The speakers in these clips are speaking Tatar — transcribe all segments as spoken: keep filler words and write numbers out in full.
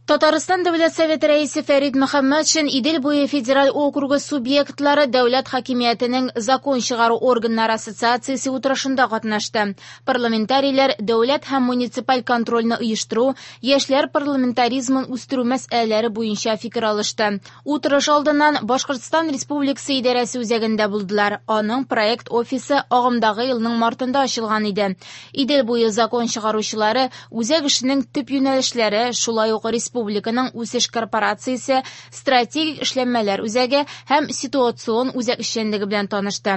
Татарстан Дәүләт Советы рәисе Фәрит Мөхәммәтшин Идел буе федераль округы субъектлары дәүләт хакимиятенең закон чыгару органнары ассоциациясе утырышында катнашты. Парламентарийлар дәүләт һәм муниципаль контрольне оештыру, яшьләр парламентаризмын үстерү мәсьәләләре буенча фикер алышты. Утырыш алдыннан Башкортстан Республикасы идарәсе үзәгендә булдылар. Аның проект офисы агымдагы елның мартында ачылган иде. Идел буе закон чыгаручылары үзәк эшенең төп юнәлешләре, шулай ук республика Республиканың үсеш корпорациясе, стратегик эшләнмәләр үзәге һәм ситуацион үзәк эшчәнлеге белән танышты.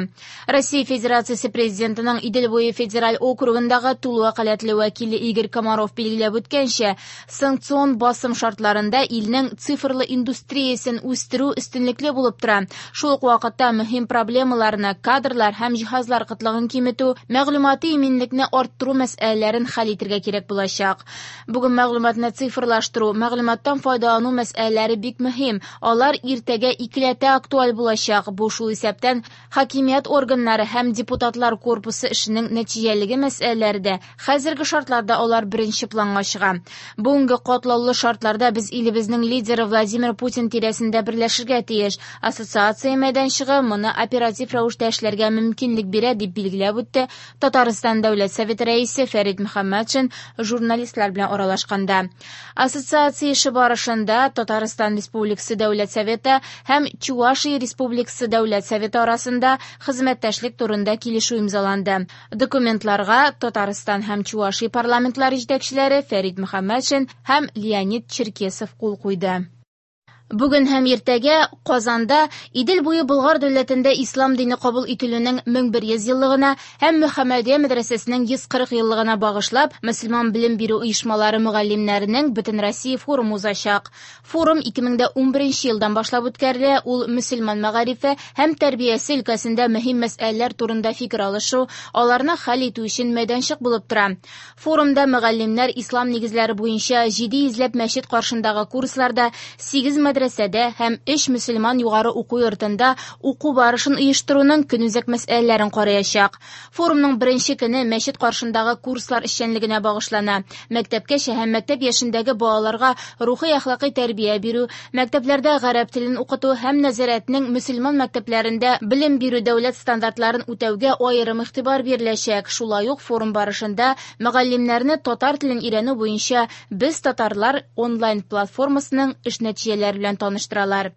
Россия Федерациясе Президентының Идел буе федераль округындагы тулы вәкаләтле вәкиле Игорь Комаров билгеләп үткәнчә, санкцион басым шартларында илнең цифрлы индустриясен үстерү өстенлекле булып тора. Шул ук вакытта мөһим проблемаларны, кадрлар һәм җиһазлар кытлыгын киметү, мәгълүмати иминлекне арттыру мәсьәләләрен хәл итәргә кирәк булачак. Бүген мәгълүматны цифрлаштыру, мәгълүматтан файдалану мәсьәләләре бик мөһим. Алар иртәгә икеләтә актуаль булачак. Бу шул исәптән хакимият органнары һәм депутатлар корпусы эшенең нәтиҗәлеге мәсьәләләре дә хәзерге шартларда алар беренче планга чыга. Бүгенге катлаулы шартларда без илебезнең лидеры Владимир Путин тирәсендә берләшергә тиеш. Ассоциация мәйданчыгы моны оператив рәвештә эшләргә мөмкинлек бирә, дип билгеләп үтте Татарстан Дәүләт Советы рәисе Фәрит Мөхәммәтшин журналистлар белән аралашканда. Ассоциация эше барышында Татарстан Республикасы Дәүләт Советы һәм Чувашия Республикасы Дәүләт Советы арасында хезмәттәшлек турында килешү имзаланды. Документларга Татарстан һәм Чувашия парламентлары җитәкчеләре Фәрит Мөхәммәтшин һәм Леонид Черкесов кул куйды. Бүген һәм иртәгә Казанда Идел буе Болгар дәүләтендә ислам дине кабул ителүнең мең бер йөз еллыгына һәм Мөхәммәдия мәдрәсәсенең йөз кырык еллыгына багышлап мөселман белем бирү оешмалары мөгаллимнәренең Бөтенроссия форумы узачак. Форум ике мең ун беренче елдан башлап үткәрелә. Ул мөселман мәгарифе һәм тәрбиясе өлкәсендә мөһим мәсьәләләр турында фикер алышу, аларны хәл итү өчен мәйданчык булып тора. Форумда мөгаллимнәр ислам нигезләре буенча җиде йөзләп мәчет каршындагы курсларда сигез мәдрәсә һәм өч мөселман югары уку йортында уку барышын оештыруның көнүзәк мәсьәләләрен караячак. Форумның беренче көне мәчет каршындагы курслар эшчәнлегенә багышлана. Мәктәпкәчә һәм мәктәп яшендәге балаларга рухи әхлакый тәрбия бирү, мәктәпләрдә гарәп телен укыту һәм нәзарәтнең мөселман мәктәпләрендә белем бирү дәүләт стандартларын үтәүгә аерым игътибар биреләчәк. Шулай ук форум барышында мөгаллимнәрне татар телен өйрәнү буенча Без татарлар онлайн платформасының эш нәтиҗәләре белән таныштыралар.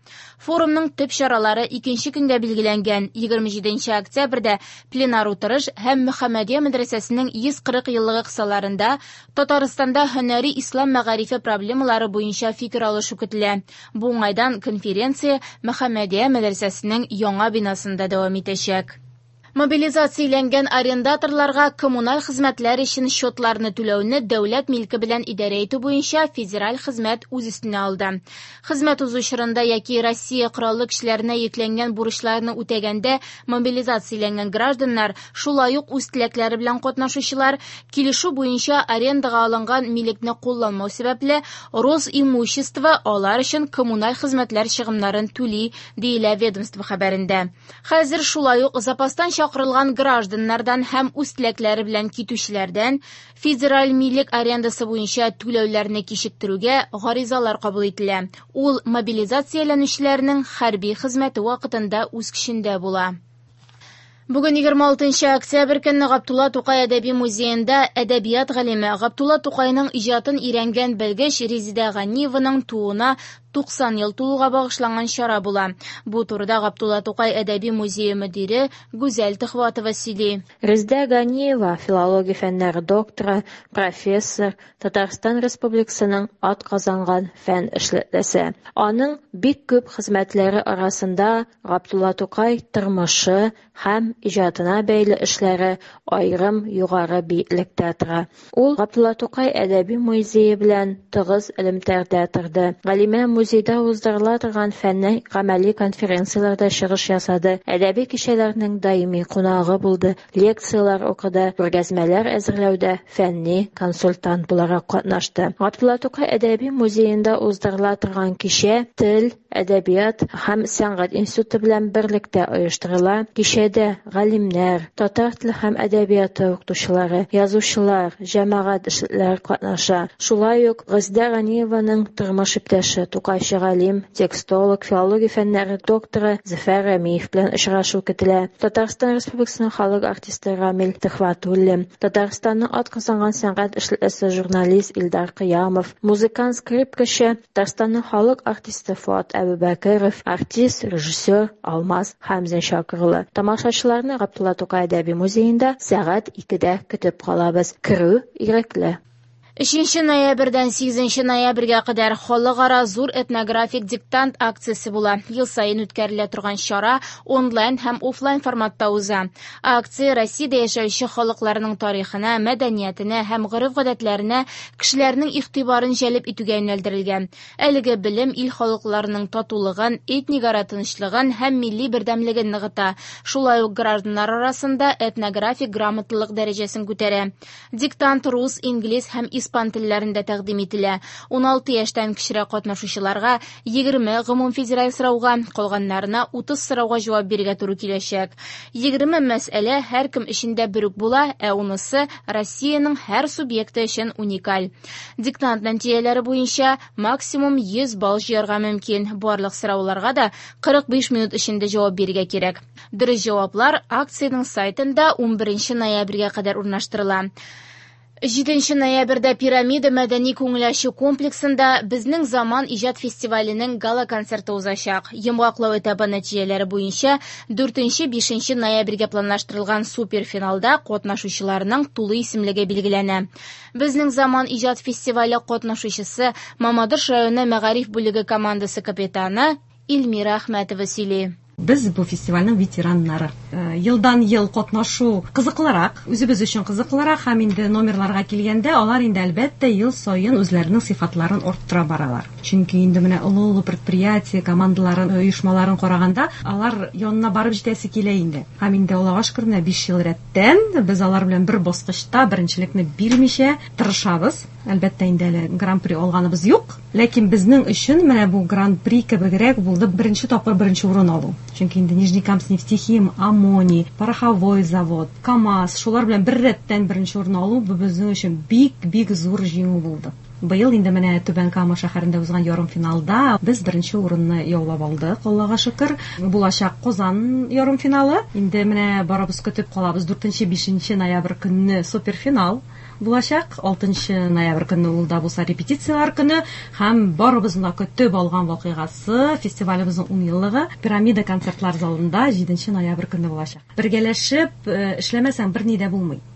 Форумның төп чаралары икенче көнгә билгеләнгән егерме җиденче октябрьдә пленар утырыш һәм Мөхәммәдия мәдрәсәсенең йөз кырык еллыгы кысаларында Татарстанда һөнәри ислам мәгарифе проблемалары буенча фикер алышу көтелә. Бу уңайдан конференция Мөхәммәдия мәдрәсәсенең яңа бинасында дәвам итәчәк. Мобилизацияләнгән арендаторларга коммуналь хезмәтләр өчен счетларны түләүне дәүләт милке белән идарә итү буенча федераль хезмәт үз өстенә алды. Хезмәт узу чорында яки Россия кораллы көчләренә йөкләнгән бурычларны үтәгәндә мобилизацияләнгән гражданнар, шулай ук үз теләкләре белән катнашучылар, килешү буенча арендага алынган милекне кулланмау сәбәпле Росимущество алар өчен коммуналь хезмәтләр чыгымнарын түли, диелә ведомство хәбәрендә. Хәзер шулай ук запастан чакырылган гражданнардан һәм үз теләкләре белән китүчеләрдән федераль милек арендасы буенча түләүләрне кичектерүгә гаризалар кабул ителә. Ул мобилизацияләнүчеләрнең хәрби хезмәте вакытында үз көчендә була. Бүген егерме алтынчы октябрь көнне Габдулла Тукай әдәби музеенда әдәбият галиме Габдулла Тукайның иҗатын өйрәнгән белгеч Резидә Ганиеваның тууына туксан ел тулуга багышланган чара була. Бу турыда Габдулла Тукай әдәби музее мөдире Гүзәл Төхвәтова сөйли. Резидә Ганиева филология фәннәре докторы, профессор, Татарстан Республикасының атказанган фән эшлеклесе. Аның бик күп хезмәтләре арасында Габдулла Тукай тормышы һәм иҗатына бәйле эшләре аерым югары биеклектә тора. Ул Габдулла Тукай әдәби музее белән тыгыз элемтәдә торды. Галимә музей музейда уздырыла торган фәнни гамәли конференцияләрдә чыгыш ясады, әдәби кичәләрнең даими кунагы булды, лекцияләр укыды, күргәзмәләр әзерләүдә фәнни консультант буларак катнашты. Габдулла Тукай әдәби музеенда уздырыла торган кичә Тел, әдәбият һәм сәнгать институты белән берлектә оештырыла. Кичәдә галимнәр, татар теле һәм әдәбияты укытучылары, язучылар, җәмәгать эшлеклеләре катнаша. Шулай ук Гыйздә Ганиеваның тормыш иптәше, тукайчы галим, текстолог, филология фәннәре докторы Зөфәр Рәмиев белән очрашу көтелә. Татарстан Республикасының халык артисты Рамил Төхвәтуллин, Татарстанның атказанган сәнгать эшлеклесе журналист Илдар Кыямов, музыкант, скрипкачы, Татарстанның халык артисты Фуат Әбүбәкеров, артист, режиссер Алмаз Хәмзин чакырыла. Тамашачыларны Габдулла Тукай әдәби музеенда сәгать икедә көтеп калабыз. Керү ирекле. Өченче ноябрьдән сигезенче ноябрьгә кадәр халыкара зур этнографик диктант акциясе була. Ел саен үткәрелә торган чара онлайн һәм офлайн форматта уза. Акция Россиядә яшәүче халыкларның тарихына, мәдәниятенә һәм гореф-гадәтләренә кешеләрнең игътибарын җәлеп итүгә юнәлдерелгән. Әлеге белем ил халыкларының татулыгын, этник ара тынычлыгын һәм милли бердәмлеген ныгыта. Шулай ук гражданнар арасында этнографик грамоталык дәрәҗәсен күтәрә. Диктант рус, инглиз һәм испан телләрендә тәкъдим ителә. Ун алты яшьтән кечерәк катнашучыларга егерме гомумфедераль сорауга, калганнарына утыз сорауга җавап бирергә туры киләчәк. Егерме мәсьәлә һәркем өчен дә бер үк була, ә унысы Россиянең һәр субъекты өчен уникаль. Диктант нәтиҗәләре буенча максимум йөз балл җыярга мөмкин. Барлык сорауларга да кырык биш минут эчендә җавап бирергә кирәк. Дөрес җаваплар акциянең сайтында унберенче ноябрьгә кадәр урнаштырыла. Җиденче ноябрьдә Пирамида мәдәни күңел ачу комплексында Безнең заман иҗат фестиваленең гала-концерты узачак. Йомгаклау этабы нәтиҗәләре буенча дүртенче-бишенче ноябрьгә планлаштырылган суперфиналда катнашучыларның тулы исемлеге билгеләнә. Безнең заман иҗат фестивале катнашучысы Мамадыш районы мәгариф бүлеге командасы капитаны Эльмира Әхмәтова сөйли. Без бу фестивальнең ветераннары. Елдан ел катнашу кызыклырак, үзебез өчен кызыклырак һәм инде номерларга килгәндә алар инде әлбәттә ел саен үзләренең сыйфатларын арттыра баралар. Чөнки инде менә олы-олы предприятие командаларын, оешмаларын караганда алар янына барып җитәсе килә инде. Һәм инде Аллага шөкер, менә биш ел рәттән без алар белән бер баскычта беренчелекне бирмичә тырышабыз. Әлбәттә инде әле гран-при алганыбыз юк, ләкин безнең өчен менә бу гран-при кебегрәк булды беренче тапкыр беренче урын алу. Чөнки инде Нижнекамск нефтехим, Аммоний, Пороховой завод, КАМАЗ, шулар белән бер рәттән беренче урын алу бу безнең өчен бик-бик зур җиңү булды. Быел инде менә Түбән Кама шәһәрендә узган ярымфиналда без беренче урынны яулап алдык, Аллага шөкер. Булачак Казан ярымфиналы. Инде менә барыбыз көтеп калабыз. Дүртенче, бишенче ноябрь көнне суперфинал булачак. Алтынчы ноябрь көнне ул да булса репетицияләр көне һәм барыбызның да көтеп алган вакыйгасы фестивалебезнең ун еллыгы Пирамида концертлар залында җиденче ноябрь көнне булачак. Бергәләшеп, э, эшләмәсәң берни дә булмый.